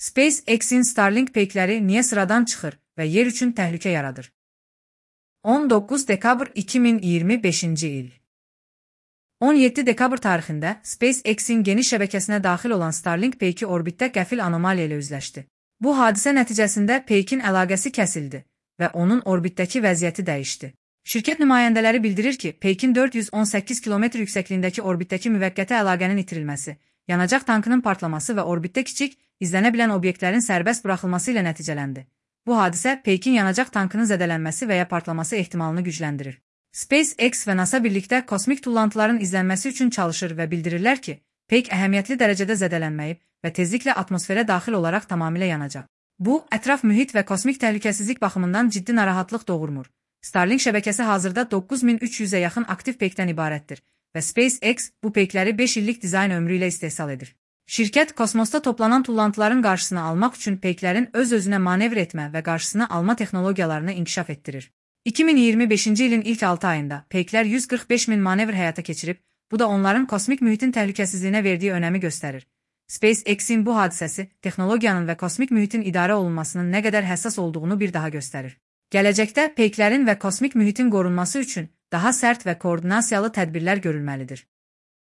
SpaceX-in Starlink peykləri niyə sıradan çıxır və yer üçün təhlükə yaradır? 19 dekabr 2025-ci il 17 dekabr tarixində SpaceX-in geniş şəbəkəsinə daxil olan Starlink peyki orbitdə qəfil anomaliya ilə üzləşdi. Bu hadisə nəticəsində peykin əlaqəsi kəsildi və onun orbitdəki vəziyyəti dəyişdi. Şirkət nümayəndələri bildirir ki, peykin 418 km yüksəkliyindəki orbitdəki müvəqqəti əlaqənin itirilməsi, yanacaq tankının partlaması və orbitdə kiçik, izlənə bilən obyektlərin sərbəst buraxılması ilə nəticələndi. Bu hadisə peykin yanacaq tankının zədələnməsi və ya partlaması ehtimalını gücləndirir. SpaceX və NASA birlikdə kosmik tullantıların izlənməsi üçün çalışır və bildirirlər ki, peyk əhəmiyyətli dərəcədə zədələnməyib və tezliklə atmosferə daxil olaraq tamamilə yanacaq. Bu, ətraf mühit və kosmik təhlükəsizlik baxımından ciddi narahatlıq doğurmur. Starlink şəbəkəsi hazırda 9300-ə yaxın aktiv peykdən ibarətdir və SpaceX bu peykləri 5 illik dizayn ömrü ilə istehsal edir. Şirkət kosmosda toplanan tullantıların qarşısını almaq üçün peyklərin öz-özünə manevr etmə və qarşısını alma texnologiyalarını inkişaf etdirir. 2025-ci ilin ilk 6 ayında peyklər 145 min manevr həyata keçirib, bu da onların kosmik mühitin təhlükəsizliyinə verdiyi önəmi göstərir. SpaceX-in bu hadisəsi texnologiyanın və kosmik mühitin idarə olunmasının nə qədər həssas olduğunu bir daha göstərir. Gələcəkdə peyklərin və kosmik mühitin qorunması üçün daha sərt və koordinasiyalı tədbirlər görülməlidir.